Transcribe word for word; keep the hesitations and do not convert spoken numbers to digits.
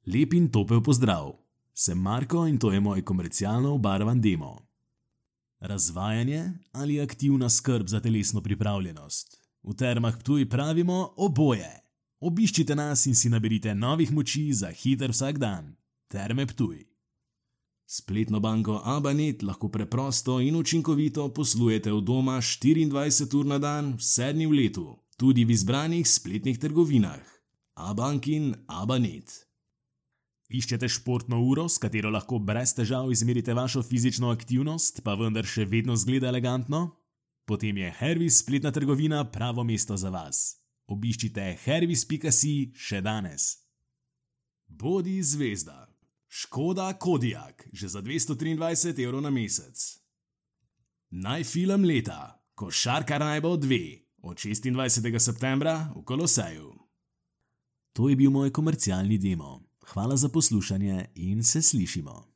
Lep in topel pozdrav. Sem Marko in to je moj komercialno obarvan demo. Razvajanje ali aktivna skrb za telesno pripravljenost? V Termah Ptuj pravimo oboje. Obiščite nas in si naberite novih moči za hiter vsak dan. Terme Ptuj. Spletno banko Abanet lahko preprosto in učinkovito poslujete od doma štiriindvajset ur na dan, vse dni v letu, tudi v izbranih spletnih trgovinah. Abankin Abanet. Iščete športno uro, s katero lahko brez težav izmerite vašo fizično aktivnost, pa vendar še vedno zgleda elegantno? Potem je Hervis spletna trgovina pravo mesto za vas. Obiščite hervis pika si še danes. Bodi zvezda. Škoda Kodiaq, že za dvesto triindvajset evrov na mesec. Najfilm leta. Košarkar naj bo dve. Od šestindvajsetega septembra v Koloseju. To je bil moj komercialni demo. Hvala za poslušanje in se slišimo.